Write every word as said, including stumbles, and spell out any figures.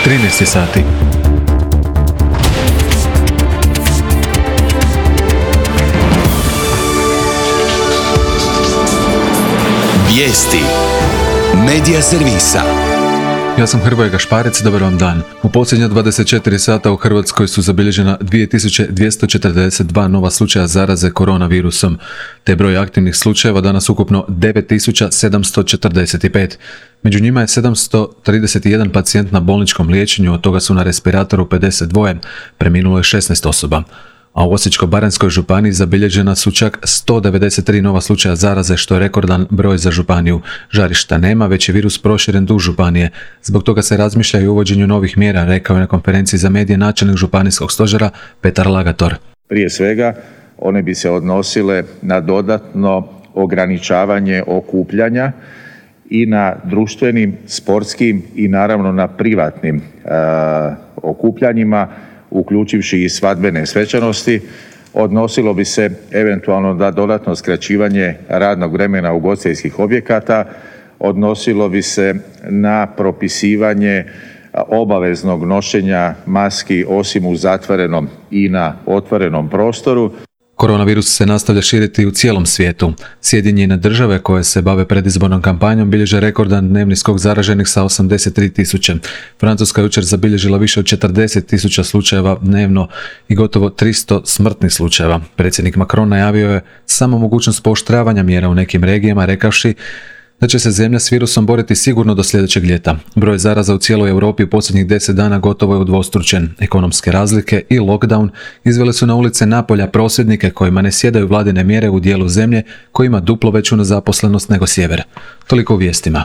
trinaest sati. Vijesti Medija servisa. Ja sam Hrvoje Gašparec, dobar vam dan. U posljednja dvadeset četiri sata u Hrvatskoj su zabilježena dvije tisuće dvjesto četrdeset dva nova slučaja zaraze koronavirusom, te broj aktivnih slučajeva danas ukupno devet tisuća sedamsto četrdeset pet. Među njima je sedamsto trideset jedan pacijent na bolničkom liječenju, od toga su na respiratoru pedeset dva, preminulo je šesnaest osoba. A u Osječko-baranjskoj županiji zabilježena su čak sto devedeset tri nova slučaja zaraze, što je rekordan broj za županiju. Žarišta nema, već je virus proširen duž županije. Zbog toga se razmišlja i o uvođenju novih mjera, rekao je na konferenciji za medije načelnik županijskog stožera Petar Lagator. Prije svega, one bi se odnosile na dodatno ograničavanje okupljanja i na društvenim, sportskim i naravno na privatnim e, okupljanjima, uključivši i svadbene svečanosti. Odnosilo bi se eventualno na dodatno skraćivanje radnog vremena ugostiteljskih objekata, odnosilo bi se na propisivanje obaveznog nošenja maski osim u zatvorenom i na otvorenom prostoru. Koronavirus se nastavlja širiti u cijelom svijetu. Sjedinjene države koje se bave predizbornom kampanjom bilježe rekordan dnevni skok zaraženih sa osamdeset tri tisuće. Francuska je jučer zabilježila više od četrdeset tisuća slučajeva dnevno i gotovo tristo smrtnih slučajeva. Predsjednik Macron najavio je samo mogućnost pooštravanja mjera u nekim regijama, rekavši da će se zemlja s virusom boriti sigurno do sljedećeg ljeta. Broj zaraza u cijeloj Europi u posljednjih deset dana gotovo je udvostručen. Ekonomske razlike i lockdown izvele su na ulice Napolja prosvjednike kojima ne sjedaju vladine mjere u dijelu zemlje koji ima duplo veću nezaposlenost nego sjever. Toliko u vijestima.